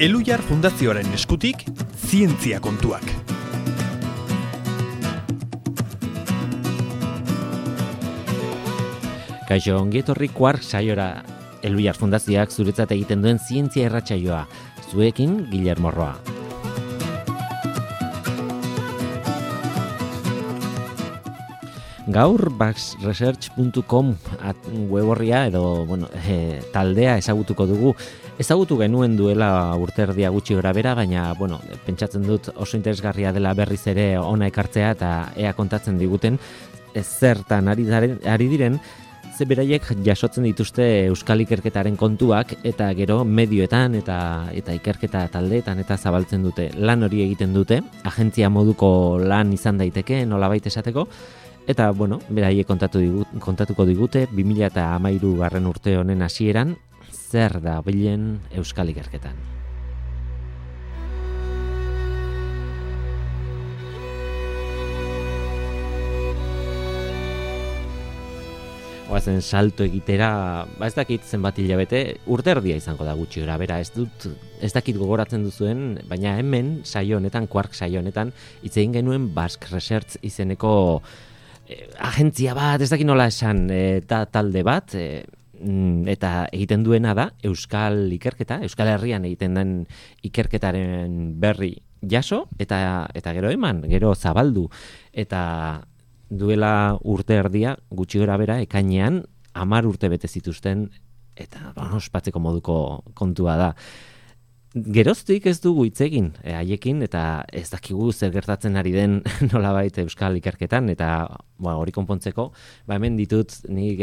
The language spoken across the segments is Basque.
Elhuyar Fundazioaren eskutik, zientzia kontuak. Kaixo, ongi etorri Quark saiora. Elhuyar Fundazioak zuretzat egiten duen zientzia irratsaioa. Zuekin Guillermo Roa. Gaur baxresearch.com web horria edo taldea ezagutuko dugu. Ezagutu genuen duela urterdia gutxi gorabehera, baina pentsatzen dut oso interesgarria dela berriz ere hona ekartzea eta ea kontatzen diguten zertan ari diren, ze beraiek jasotzen dituzte euskal ikerketaren kontuak eta gero medioetan eta ikerketa taldeetan eta zabaltzen dute. Lan hori egiten dute, agentzia moduko lan izan daiteke, nolabait esateko. Eta, beraiek kontatuko digute, 2013 urte honen hasieran, zer da bilen euskal ikerketan. Oazen salto egitera, ez dakit zenbat hilabete, urte erdia izango da gutxi gorabehera, ez dakit gogoratzen duzuen, baina hemen saio honetan, Quark saio honetan, hitz egin genuen Basque Research izeneko agentzia bat, ez dakit nola esan, talde bat, eta egiten duena da euskal ikerketa, Euskal Herrian egiten den ikerketaren berri jaso, eta gero eman, gero zabaldu, eta duela urte erdia, gutxi gorabehera, ekainean, 10 urte bete zituzten, eta ospatzeko moduko kontua da. Geroztik ez dugu hitz egin haiekin, eta ez dakigu zer gertatzen ari den nolabait euskal ikerketan, eta hori konpontzeko, hemen ditut nik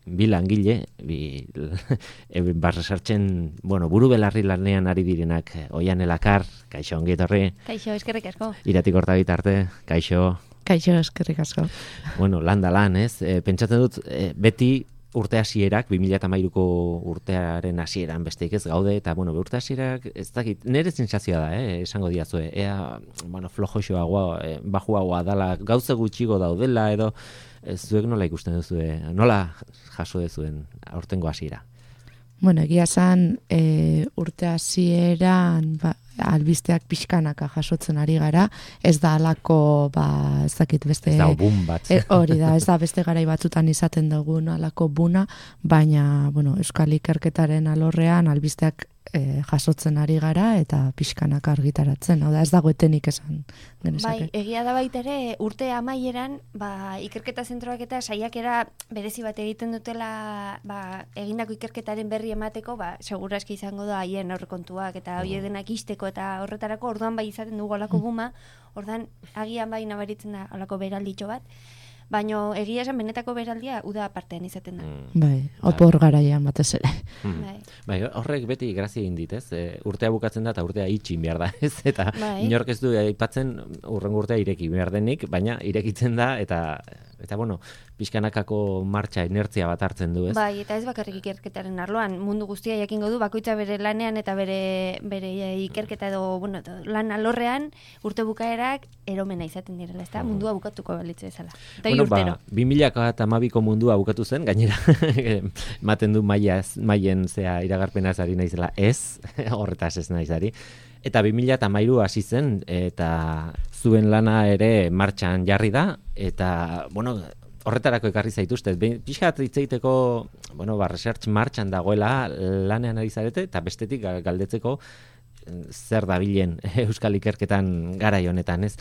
bi langile, Basresearchen, buru belarri lanean ari direnak, Oian Elakar, kaixo, ongi etorri. Kaixo, eskerrik asko. Iratik Hortabit arte, kaixo. Kaixo, eskerrik asko. Lan da lan, ez? Pentsatzen dut, beti urte hasierak, 2013ko urtearen hasieran besteik ez gaude, eta urte hasierak, ez dakit, nire sentsazioa da, esango diazue, ea, flojoxoagoa, bajuagoa dala, gauza gutxigo daudela, edo, zuek nola ikusten duzue, nola jaso duzuen aurtengo hasiera? Egia esan, urte hasieran, albisteak pixkanaka jasotzen ari gara, ez da alako, ez dakit beste... Ez da bun bat. Hori da, ez da beste garai batzutan izaten dugun alako buna, baina, euskal ikerketaren alorrean albisteak jasotzen ari gara eta pixkanaka argitaratzen. Hau da, ez dago etenik esan genezake. Bai, egia da baita ere, urte amaieran, ikerketa zentroak eta saiakera berezi bat egiten dutela, egindako ikerketaren berri emateko, segurazki izango da haien aurrekontuak eta hori denak isteko eta horretarako orduan bai izaten dugu alako buma, orduan agian bai nabaritzen da alako beralditxo bat, baina egia esan benetako beraldia uda partean izaten da. Bai, opor garaian batez ere. Bai, horrek beti grazia egin dit, ez? Urtea bukatzen da eta urtea itxin behar da, ez? Eta inork ez du aipatzen urrengo urtea ireki behar denik, baina irekitzen da eta pixkanakako martxa inertzia bat hartzen du, ez? Bai, eta ez bakarrik ikerketaren arloan, mundu guztia jakingo du, bakoitza bere lanean eta bere ikerketa edo, lan alorrean urte bukaerak eromena izaten direla, ezta? Mundua bukatuko balitze bezala. Eta urtero. 2012ko mundua bukatu zen, gainera, ematen du maien iragarpenaz ari naizela, ez, horretaz ez naizari. Eta 2013 hasi zen, eta zuen lana ere martxan jarri da, eta, horretarako ekarri zaituzte. Pixkat hitz egiteko, research martxan dagoela lanean ari zarete, eta bestetik galdetzeko zer dabilen euskal ikerketan garai honetan, ez?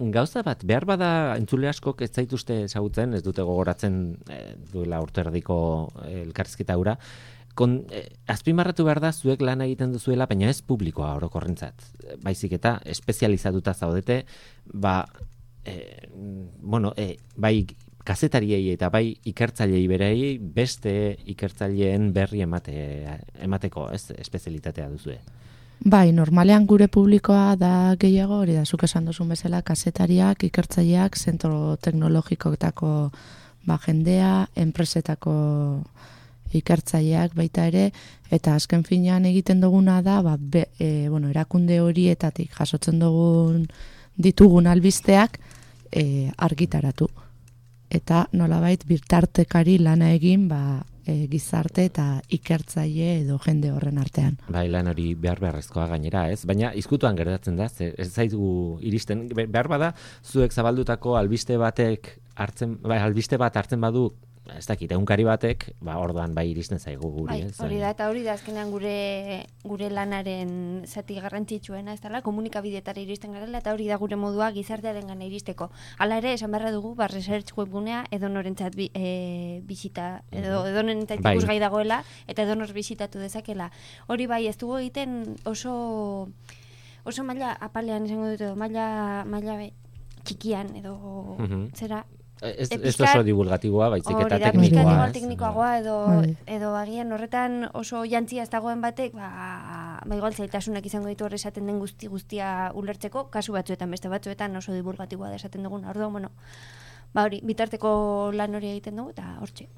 Gauza bat, behar bada entzule askok ez zaituzte ezagutzen, ez dute gogoratzen duela urterdiko elkarrizketa hura, azpimarratu behar da zuek lan egiten duzuela, baina ez publikoa orokorrentzat. Baizik eta espezializatuta zaudete, bai kazetariei eta bai ikertzaileei berei beste ikertzaileen berri emateko, ez, espezialitatea duzue. Bai, normalean gure publikoa da gehiago, hori da, zuk esan duzun bezala, kazetariak, ikertzaileak, zentro teknologikoetako jendea, enpresetako ikertzaileak baita ere, eta azken finean egiten duguna da, erakunde horietatik jasotzen ditugun albisteak argitaratu. eta nolabait bitartekari lana egin gizarte eta ikertzaile edo jende horren artean. Bai, lan hori beharrezkoa gainera, ez? Baina izkutuan gertatzen da, ez zaitu iristen, behar bada, zuek zabaldutako albiste bat hartzen badu, ez dakit, egunkari batek, orduan bai iristen zaigu guri, ez? Hori da azkenean gure lanaren zati garrantzitsuena, ez dela, komunikabideetara iristen garela, eta hori da gure modua gizartearen gana iristeko. Hala ere, esan beharra dugu, research webgunea edonorentzat bisita, edonorentzat ikusgai dagoela, eta edonor bisitatu dezakela. Hori bai, ez dugu egiten oso maila apalean esango dut, edo maila txikian, edo zera, Ez oso divulgatiboa, baizik eta teknikoa. Igual teknikoagoa edo agian horretan oso jantzia ez dagoen batek, igual zailtasunak izango ditu hor esaten den guztia ulertzeko, kasu batzuetan, beste batzuetan oso divulgatiboa da esaten dugun. Orduan, hori, bitarteko lan hori egiten dugu, eta hortxe.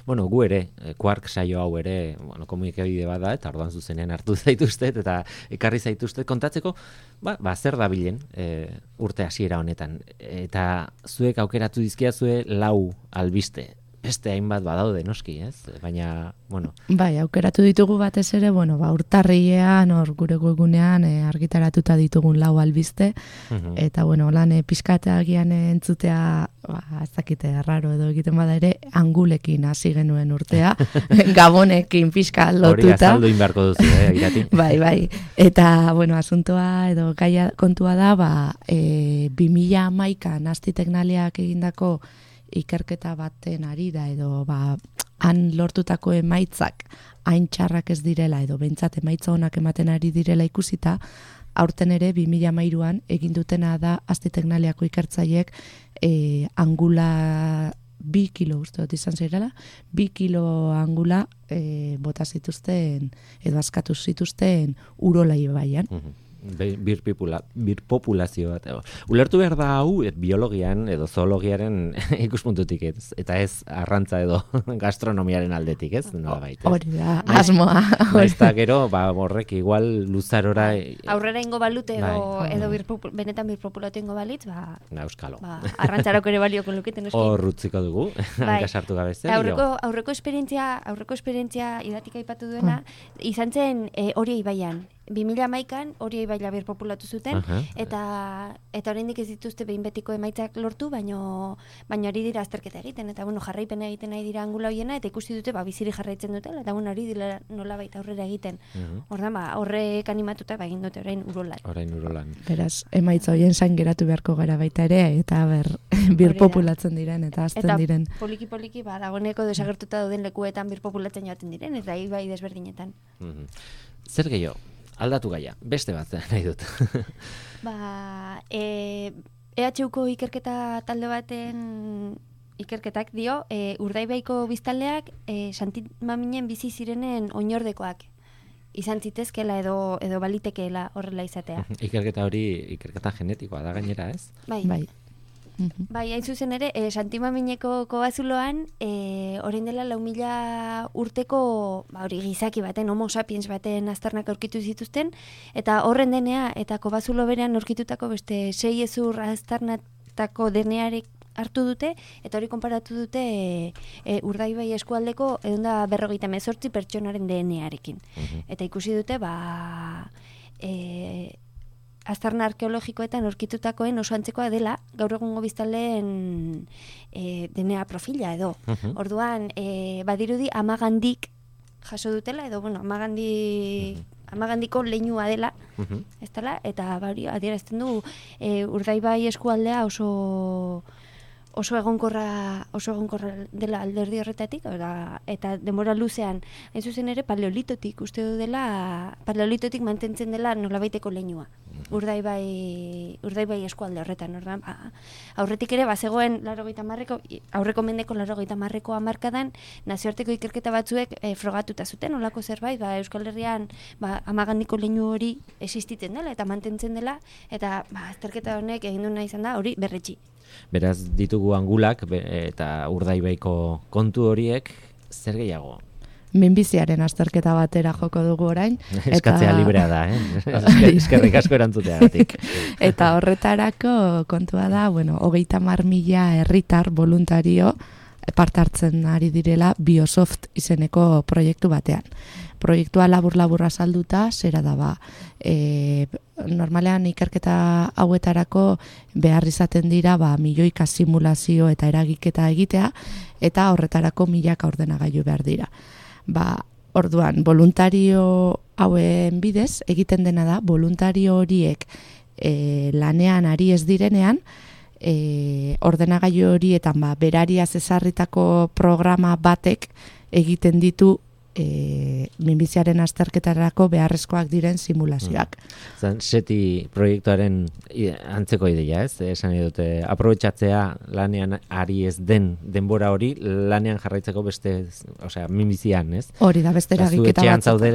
Bueno, gu ere, Quark saio hau ere, komunikabide bada, eta orduan zuzenean hartu zaituztet, eta ekarri zaituztet kontatzeko, zer da bilen urte hasiera honetan. Eta zuek aukeratu dizkiazue 4 albiste. Beste hainbat badaude, noski, ez? Baina, Bai, aukeratu ditugu batez ere, urtarrilean, gure webgunean argitaratuta ditugun 4 albiste, eta, lan pizkatagian entzutea, ez dakite, arraro edo egiten bada ere, angulekin hasi genuen urtea, gabonekin pizka lotuta. Hori azaldu inbarko duzu, Irati. Bai, eta, asuntoa edo gaia kontua da, 2011an Asti Teknaliak egindako ikerketa baten arira edo han lortutako emaitzak hain txarrak ez direla edo behintzat emaitza onak ematen ari direla ikusita, aurten ere 2013an egin dutena da Asti Teknaliako ikertzaileek angula 2 kilo uste dut izan zirela, 2 kilo angula bota zituzten edo askatu zituzten Urola ibaian. Birpopulazio bat. Ulertu behar da hau biologian edo zoologiaren ikuspuntutik ez, eta ez arrantza edo gastronomiaren aldetik, ez? Hori da, asmoa. Eta gero, horrek igual luzarora... Aurrera ingo balute edo benetan birpopulatu ingo balitz, euskalo. Arrantzarako ere balioko luketen. Hor rutziko dugu, hankasartu gabeze. Aurreko esperientzia Idatik aipatu duena, izan zen hori ibaian. 2011an hori ibaila birpopulatu zuten, eta oraindik ez dituzte behin betiko emaitzak lortu, baino ari dira azterketa egiten, eta jarraipena egiten nahi dira angula hoiena, eta ikusi dute biziri jarraitzen dutela, eta hori dira nolabait aurrera egiten. Ordan horrek animatuta egin dute orain Urolan. Beraz, emaitza hoien zain geratu beharko gara baita ere, eta birpopulatzen diren, eta azten diren. Eta poliki dagoeneko desagertuta dauden lekuetan birpopulatzen joaten diren, eta ibai desberdinetan. Zer gehiago? Aldatu gaia, beste bat nahi dut. EHUko ikerketa talde baten ikerketak dio, Urdaibaiko biztanleak Santimaminen bizi zirenen oinordekoak izan zitezkela edo balitekeela horrela izatea. Ikerketa hori, ikerketa genetikoa da gainera, ez? Bai. Bai, hain zuzen ere, Santimamineko kobazuloan, orain dela 4.000 urteko gizaki baten, homo sapiens baten aztarnak aurkitu zituzten, eta horren denea, eta kobazulo berean aurkitutako beste 6 hezur aztarnatako denearek hartu dute, eta hori konparatu dute Urdaibai eskualdeko 158 pertsonaren DNArekin. Eta ikusi dute, aztarna arkeologikoetan aurkitutakoen oso antzekoa dela gaur egungo biztanleen DNA profila edo. Orduan, badirudi amagandik jaso dutela edo amagandiko leinua dela, ez dela, eta adierazten du Urdaibai eskualdea oso egonkorra dela alderdi horretatik, eta denbora luzean, hain zuzen ere paleolitotik uste du dela, paleolitotik mantentzen dela nolabaiteko leinua. Urdaibai eskualde horretan, ordan, aurretik ere bazegoen aurreko mendeko 80ko hamarkadan nazioarteko ikerketa batzuek frogatuta zuten, olako zerbait, Euskal Herrian amagandiko leinu hori existitzen dela eta mantentzen dela, eta azterketa honek egin duena izan da hori berretsi. Beraz ditugu angulak eta Urdaibaiko kontu horiek zer gehiago? minbiziaren azterketa batera joko dugu orain. Eskatzea librea da, eskerrik asko erantzuteagatik. Eta horretarako kontua da, 30.000 herritar voluntario parte hartzen ari direla Biosoft izeneko proiektu batean. Proiektua labur-laburra salduta, zera da normalean ikerketa hauetarako behar izaten dira milioika simulazio eta eragiketa egitea, eta horretarako milaka ordenagailu behar dira. Orduan, voluntario hauen bidez, egiten dena da, voluntario horiek lanean ari ez direnean, ordenagailu horietan berariaz ezarritako programa batek egiten ditu minbiziaren azterketarako beharrezkoak diren simulazioak. SETI proiektuaren antzeko ideia, ez? Esan dute, aprobetxatzea lanean ari ez den denbora hori, lanean jarraitzeko beste, minbizian, ez? Hori da, beste eragiketa batzuko. Zu etxean zaude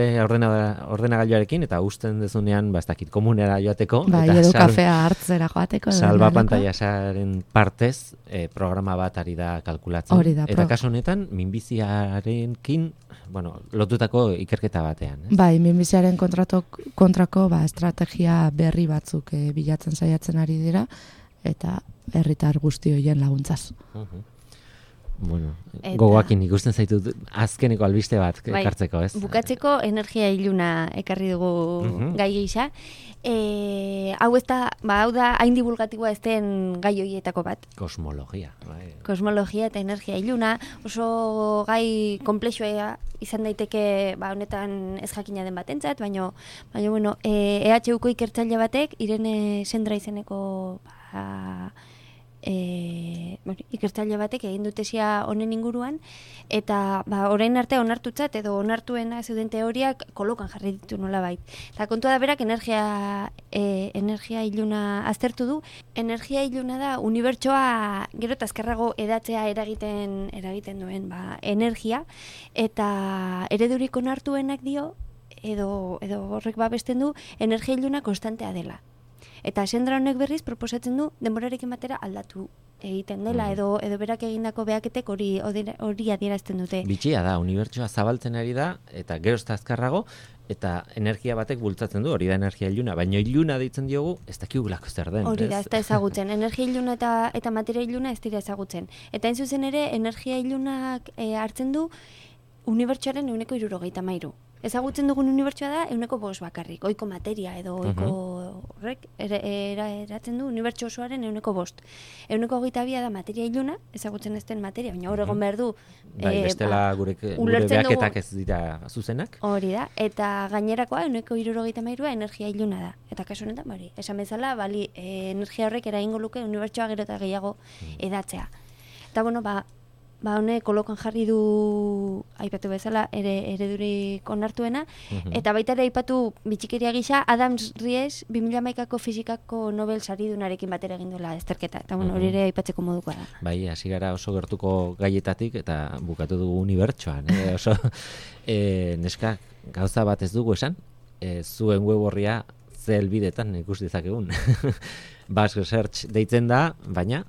ordenagailuarekin, eta usten dezunean, ez dakit, komunera joateko. Edo kafea hartzera joateko. Salba pantailasaren partez, programa bat ari da kalkulatzen. Hori da. Eta kasu honetan, minbiziarekin, lotutako ikerketa batean. Minbiziaren kontrako estrategia berri batzuk bilatzen saiatzen ari dira, eta herritar guzti horien laguntzaz. Gogoakin ikusten zaitut azkeneko albiste bat ekartzeko, ez? Bukatzeko energia iluna ekarri dugu gai gisa. Hau ez da, hau da hain divulgatiboa ez den gai horietako bat. Kosmologia. Kosmologia eta energia iluna oso gai komplexua izan daiteke honetan ez jakina den batentzat, baina EHUko ikertzaile batek, Irene Sendra izeneko ikertzaile batek egin du tesia honen inguruan, eta orain arte onartutzat edo onartuena zeuden teoriak kolokan jarri ditu nolabait. Eta kontua da berak energia iluna aztertu du. Energia iluna da unibertsoa gero eta azkarrago edatzea eragiten duen energia, eta eredurik onartuenak dio edo horrek babesten du energia iluna konstantea dela. Eta Sendra honek berriz proposatzen du denborarekin batera aldatu egiten dela, edo berak egindako behaketek hori adierazten dute. Bitxia da, unibertsoa zabaltzen ari da, eta gero ez da azkarrago, eta energia batek bultzatzen du, hori da energia iluna, baina iluna deitzen diogu, ez dakigulako zer den. Hori da, ez da ezagutzen. Energia iluna eta materia iluna ez dira ezagutzen. Eta hain zuzen ere, energia ilunak hartzen du unibertsoaren 173. Ezagutzen dugun unibertsoa da 105 bakarrik, ohiko materia edo ohiko horrek eratzen du unibertso osoaren 105. 122 da materia iluna, ezagutzen ez den materia, baina hor egon behar du. Bestela gure behaketak ez dira zuzenak. Hori da, eta gainerakoa 173 energia iluna da. Eta kasu honetan, esan bezala, energia horrek eragingo luke unibertsoa gero eta gehiago edatzea. Eta honek kolokan jarri du aipatu bezala eredurik onartuena, eta baita ere aipatu bitxikeria gisa Adams Ries 2011ko fisikako Nobel saridunarekin batera egin duela azterketa, eta hori ere aipatzeko modukoa da. Bai, hasi gara oso gertuko gaietatik eta bukatu dugu unibertsoan, oso neska gauza bat ez dugu esan, zuen web orria ze helbidetan ikus dezakegun. Basque Research deitzen da, baina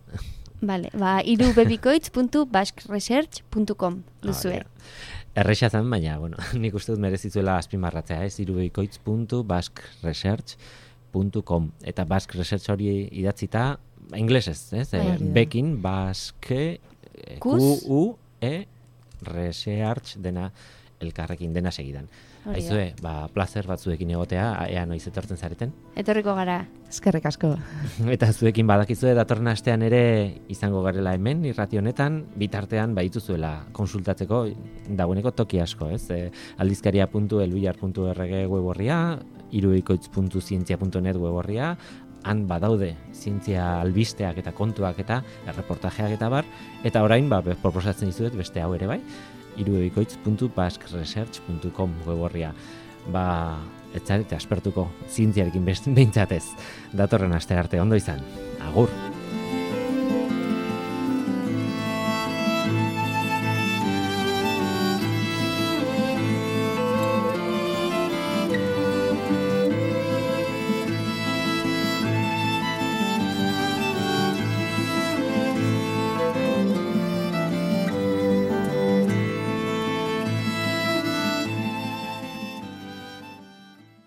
Vale, irubebikoitz.basqueresearch.com duzue. Erresa zen, baina, nik uste dut merezizuela azpimarratzea, irubebikoitz.basqueresearch.com. Eta Basque Research hori idatzita, inglesez, Bekin, Basque, Q-U-E, Research dena elkarrekin dena segidan. Aizue, placer batzuekin egotea, ea noiz etortzen zareten? Etorriko gara. Eskerrik asko. Eta zuekin badakizue datorren astean ere izango garela hemen, irrati honetan, bitartean baituzuela konsultatzeko dagoeneko toki asko, ez? Aldizkaria.elbillar.org web orria, irubebikoitz.zientzia.net web orria, han badaude zientzia albisteak eta kontuak eta erreportajeak eta bar, eta orain proposatzen dizuet beste hau ere bai, irubebikoitz.basqueresearch.com web orria. Ez zarete aspertuko zientziarekin behintzatez. Datorren aste arte ondo izan. Agur!